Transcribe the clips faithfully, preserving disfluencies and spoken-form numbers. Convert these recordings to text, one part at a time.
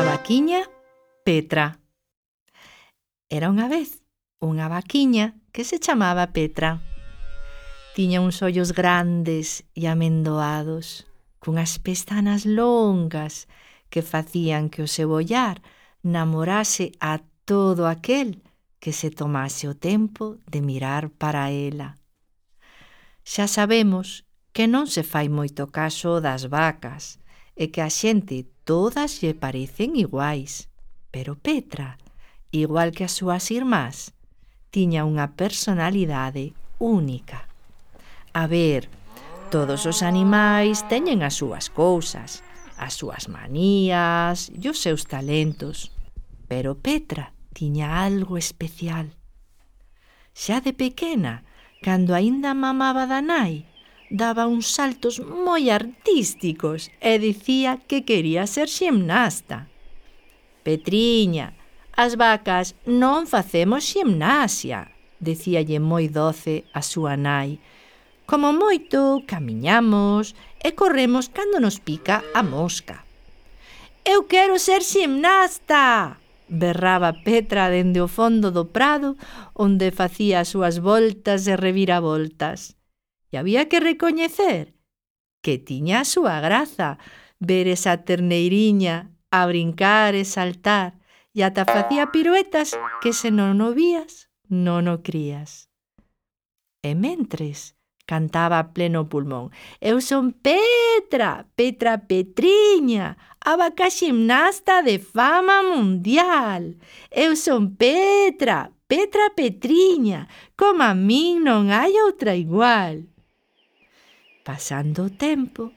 A vaquiña Petra. Era unha vez unha vaquiña que se chamaba Petra. Tiña uns ollos grandes e amendoados, cunhas pestanas longas que facían que o seu ollar namorase a todo aquel que se tomase o tempo de mirar para ela. Xa sabemos que non se fai moito caso das vacas e que a xente todas lle parecen iguais, pero Petra, igual que as súas irmás, tiña unha personalidade única. A ver, todos os animais teñen as súas cousas, as súas manías e os seus talentos, pero Petra tiña algo especial. Xa de pequena, cando aínda mamaba da nai, daba uns saltos moi artísticos e dicía que quería ser ximnasta. «Petriña, as vacas non facemos ximnasia», dicíalle moi doce a súa nai. «Como moito camiñamos e corremos cando nos pica a mosca». «Eu quero ser ximnasta!», berraba Petra dende o fondo do prado onde facía as súas voltas e reviravoltas. E había que recoñecer que tiña a súa graza ver esa terneiriña a brincar e saltar e ata facía piruetas que se non o vías, non o crías. E mentres cantaba a pleno pulmón: «Eu son Petra, Petra Petriña, a vaca ximnasta de fama mundial. Eu son Petra, Petra Petriña, como a min non hai outra igual». Pasando o tempo,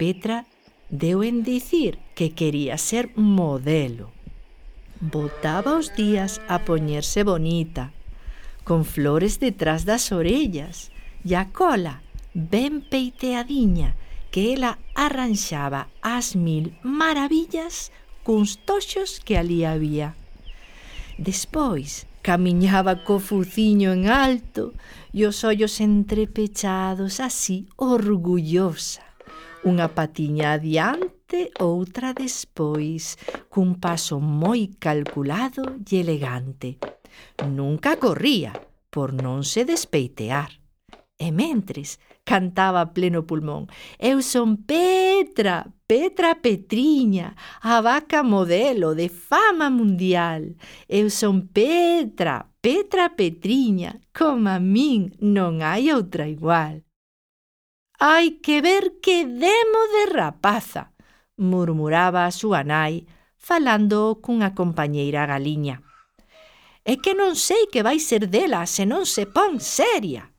Petra deu en dicir que quería ser modelo. Botaba os días a poñerse bonita, con flores detrás das orellas e a cola ben peiteadiña que ela arranxaba ás mil maravillas cuns toxos que alí había. Despois camiñaba co fuciño en alto e os ollos entrepechados así orgullosa, unha patiña adiante, outra despois, cun paso moi calculado e elegante. Nunca corría por non se despeitear. E mentres cantaba a pleno pulmón: «Eu son Petra, Petra Petriña, a vaca modelo de fama mundial. Eu son Petra, Petra Petriña, como a min non hai outra igual». «Hai que ver que demo de rapaza», murmuraba a súa nai, falando cunha compañeira galiña. «É que non sei que vai ser dela se non se pon seria».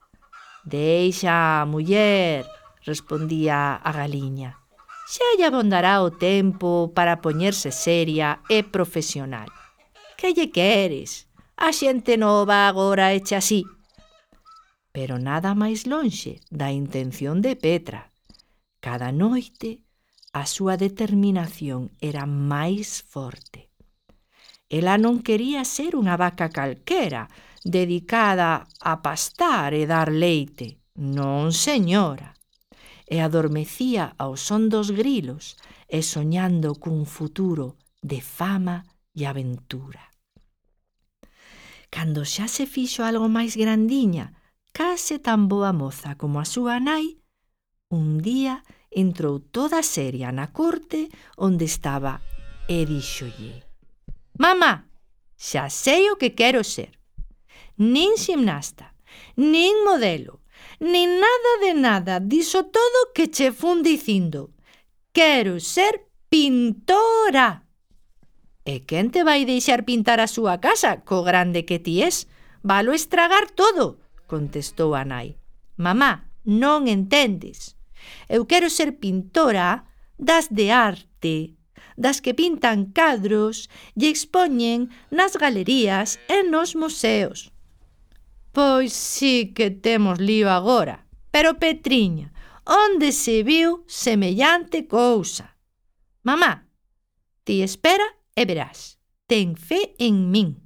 «Deixa, muller», respondía a galiña. «Xa lle abondará o tempo para poñerse seria e profesional. Que lle queres? A xente nova agora eche así». Pero nada máis lonxe da intención de Petra. Cada noite a súa determinación era máis forte. Ela non quería ser unha vaca calquera, dedicada a pastar e dar leite. Non, señora. E adormecía ao son dos grilos e soñando cun futuro de fama e aventura. Cando xa se fixo algo máis grandiña, case tan boa moza como a súa nai, un día entrou toda seria na corte onde estaba e díxolle: «Mamá, xa sei o que quero ser. Nin ximnasta, nin modelo, nin nada de nada diso todo que che fun dicindo. Quero ser pintora». «E quen te vai deixar pintar a súa casa, co grande que ti es? Valo estragar todo», contestou a nai. «Mamá, non entendes. Eu quero ser pintora das de arte, das que pintan cadros e expoñen nas galerías e nos museos». «Pois sí que temos lío agora, pero Petriña, onde se viu semellante cousa?» «Mamá, ti espera e verás. Ten fe en min»,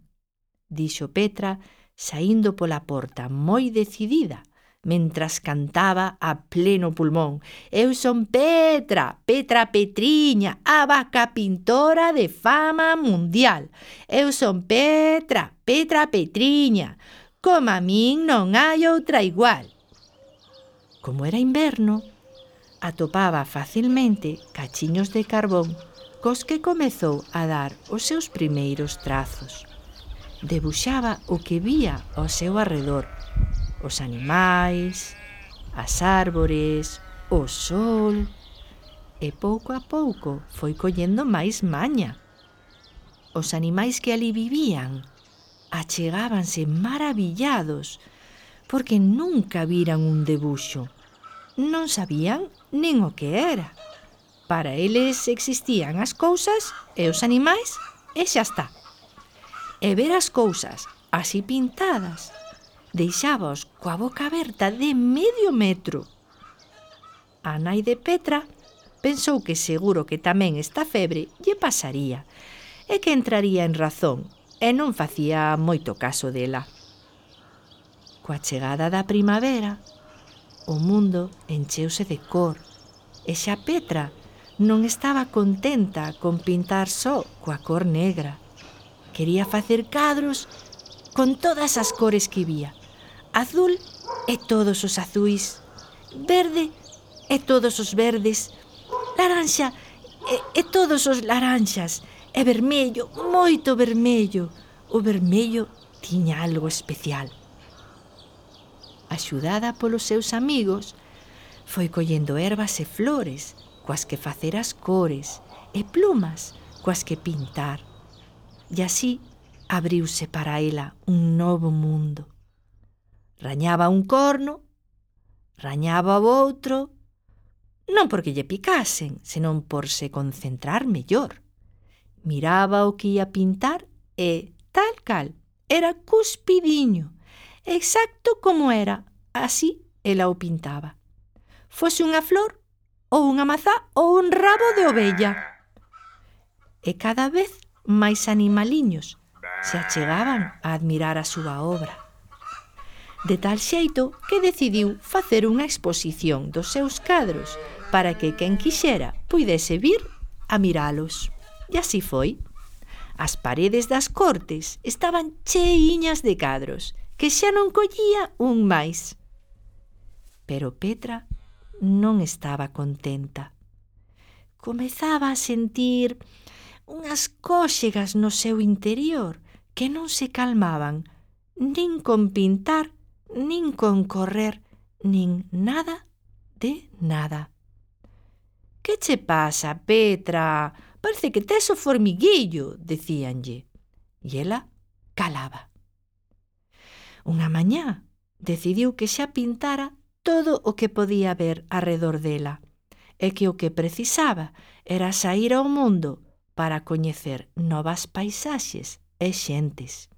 dixo Petra, saindo pola porta moi decidida mentras cantaba a pleno pulmón. Eu son Petra, Petra Petriña, a vaca pintora de fama mundial. Eu son Petra, Petra Petriña, como a min non hai outra igual. Como era inverno, atopaba facilmente cachiños de carbón cos que comezou a dar os seus primeiros trazos. Debuxaba o que vía ao seu arredor, os animais, as árbores, o sol, e pouco a pouco foi collendo máis maña. Os animais que ali vivían achegábanse maravillados porque nunca viran un debuxo. Non sabían nin o que era. Para eles existían as cousas e os animais e xa está. E ver as cousas así pintadas deixábaos coa boca aberta de medio metro. A nai de Petra pensou que seguro que tamén esta febre lle pasaría e que entraría en razón e non facía moito caso dela. Coa chegada da primavera, o mundo encheuse de cor e xa Petra non estaba contenta con pintar só coa cor negra. Quería facer cadros con todas as cores que vía. Azul e todos os azuis, verde e todos os verdes, laranxa e, e todos os laranxas, e vermello, moito vermello. O vermello tiña algo especial. Axudada polos seus amigos, foi collendo ervas e flores coas que facer as cores e plumas coas que pintar. E así abriuse para ela un novo mundo. Rañaba un corno, rañaba o outro, non porque lle picasen, senón por se concentrar mellor. Miraba o que ia pintar e, tal cal, era cuspidiño, exacto como era, así ela o pintaba. Fose unha flor, ou unha mazá, ou un rabo de ovella. E cada vez máis animaliños se achegaban a admirar a súa obra. De tal xeito que decidiu facer unha exposición dos seus cadros para que quen quixera puidese vir a miralos. E así foi. As paredes das cortes estaban cheiñas de cadros, que xa non collía un máis. Pero Petra non estaba contenta. Comezaba a sentir unhas cóxegas no seu interior que non se calmaban nin con pintar, nin con correr, nin nada de nada. «Que che pasa, Petra? Parece que tes o formiguillo», decíanlle. E ela calaba. Unha mañá decidiu que xa pintara todo o que podía ver arredor dela e que o que precisaba era saír ao mundo para coñecer novas paisaxes e xentes.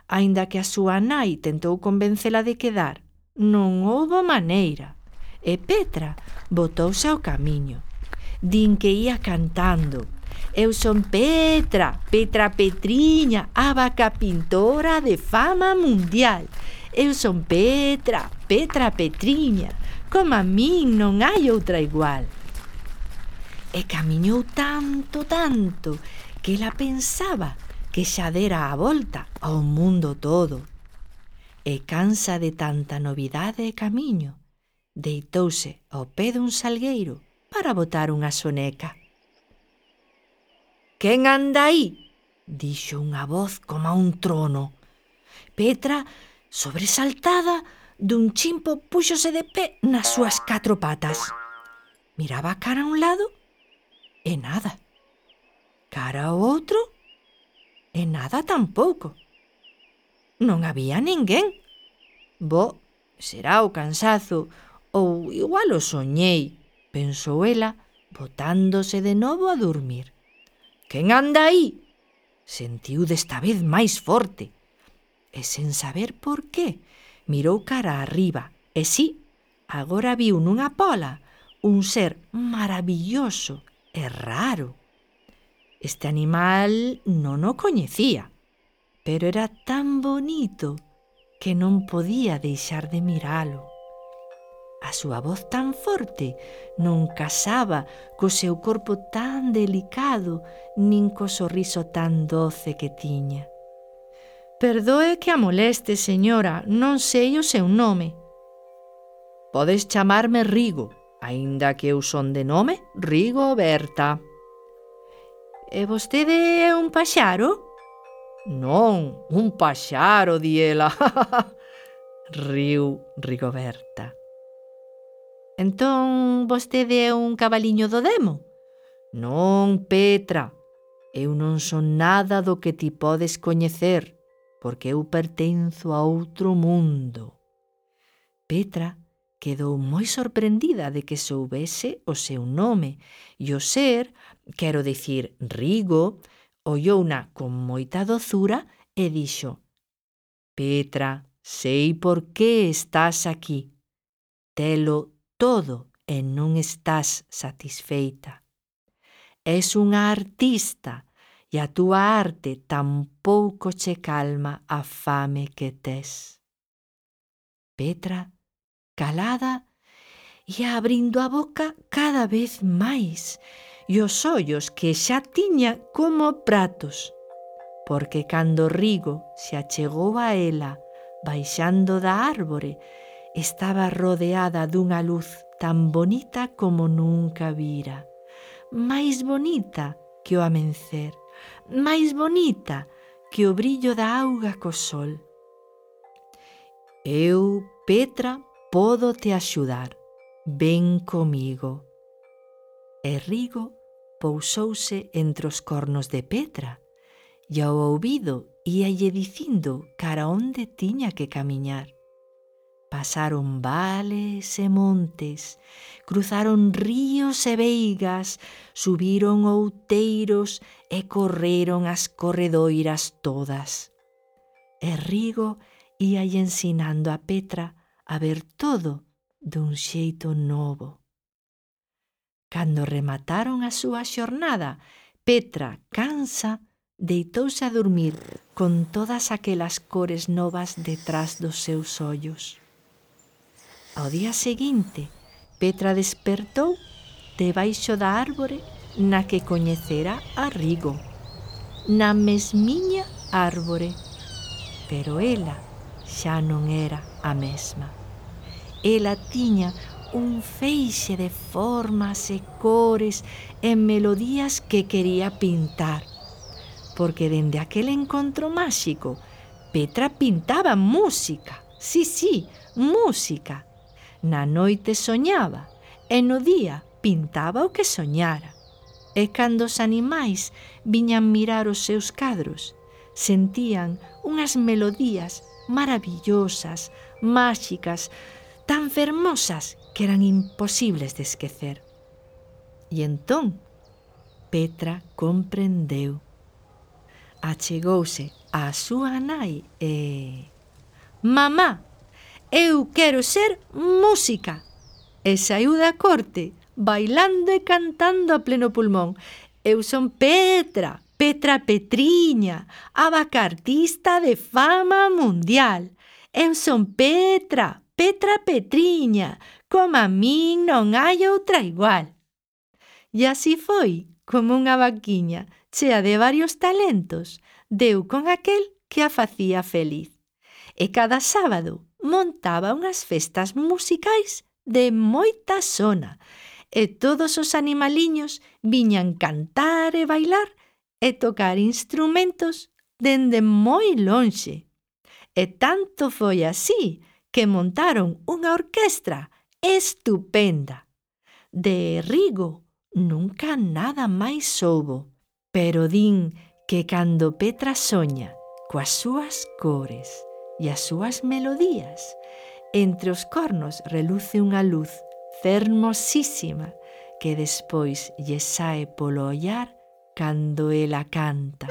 Aínda que a súa nai tentou convencela de quedar, non houbo maneira, e Petra botouse ao camiño. Din que ia cantando: «Eu son Petra, Petra Petriña, a vaca pintora de fama mundial. Eu son Petra, Petra Petriña, como a min non hai outra igual». E camiñou tanto, tanto, que ela pensaba que xa dera a volta ao mundo todo. E cansa de tanta novidade e camiño, deitouse ao pé dun salgueiro para botar unha soneca. «Quen anda aí?», dixo unha voz como un trono. Petra, sobresaltada, dun chimpo púxose de pé nas súas catro patas. Miraba cara a un lado e nada. Cara ao outro e nada tampouco. Non había ninguén. «Bo, será o cansazo, ou igual o soñei», pensou ela, botándose de novo a dormir. «Quen anda aí?», sentiu desta vez máis forte. E sen saber por qué, mirou cara arriba e sí, agora viu nunha pola un ser maravilloso e raro. Este animal non o coñecía, pero era tan bonito que non podía deixar de miralo. A súa voz tan forte non casaba co seu corpo tan delicado nin co sorriso tan doce que tiña. «Perdoe que a moleste, señora, non sei o seu nome». «Podes chamarme Rigo, aínda que eu son de nome Rigoberta». «E vostede é un paxaro?» «Non, un paxaro», di ela. Riu Rigoberta. «Entón vostede é un cabaliño do demo?» «Non, Petra, eu non son nada do que ti podes coñecer, porque eu pertenzo a outro mundo». Petra quedou moi sorprendida de que soubese o seu nome e o ser, quero dicir Rigo, ollouna con moita dozura e dixo: «Petra, sei por que estás aquí. Telo todo e non estás satisfeita. Es unha artista e a túa arte tampouco che calma a fame que tes». Petra, calada, ia abrindo a boca cada vez máis e os ollos que xa tiña como pratos, porque cando Rigo se achegou a ela baixando da árbore, estaba rodeada dunha luz tan bonita como nunca vira, máis bonita que o amencer, máis bonita que o brillo da auga co sol. «Eu, Petra, podo te axudar. Ven comigo». E Rigo pousouse entre os cornos de Petra e ao ouvido íalle dicindo cara onde tiña que camiñar. Pasaron vales e montes, cruzaron ríos e veigas, subiron outeiros e correron as corredoiras todas. E Rigo íalle ensinando a Petra a ver todo dun xeito novo. Cando remataron a súa xornada, Petra, cansa, deitouse a dormir con todas aquelas cores novas detrás dos seus ollos. Ao día seguinte, Petra despertou debaixo da árbore na que coñecera a Rigo, na mesmiña árbore, pero ela xa non era a mesma. Ela tiña un feixe de formas e cores e melodías que quería pintar, porque dende aquel encontro máxico Petra pintaba música, sí, sí, música. Na noite soñaba e no día pintaba o que soñara. E cando os animais viñan mirar os seus cadros, sentían unhas melodías maravillosas, máxicas, tan fermosas que eran imposibles de esquecer. E entón Petra comprendeu. Achegouse á súa nai e... «Mamá, eu quero ser música!» E saíu da corte, bailando e cantando a pleno pulmón. «Eu son Petra, Petra Petriña, a vaca artista de fama mundial. Eu son Petra, Petra Petriña, como a min non hai outra igual». E así foi como unha vaquiña chea de varios talentos deu con aquel que a facía feliz. E cada sábado montaba unhas festas musicais de moita sona e todos os animaliños viñan cantar e bailar e tocar instrumentos dende moi lonxe. E tanto foi así que montaron unha orquestra estupenda. De Rigo nunca nada máis soubo, pero din que cando Petra soña coas súas cores e as súas melodías, entre os cornos reluce unha luz fermosísima que despois lle sae polo ollar cando ela canta.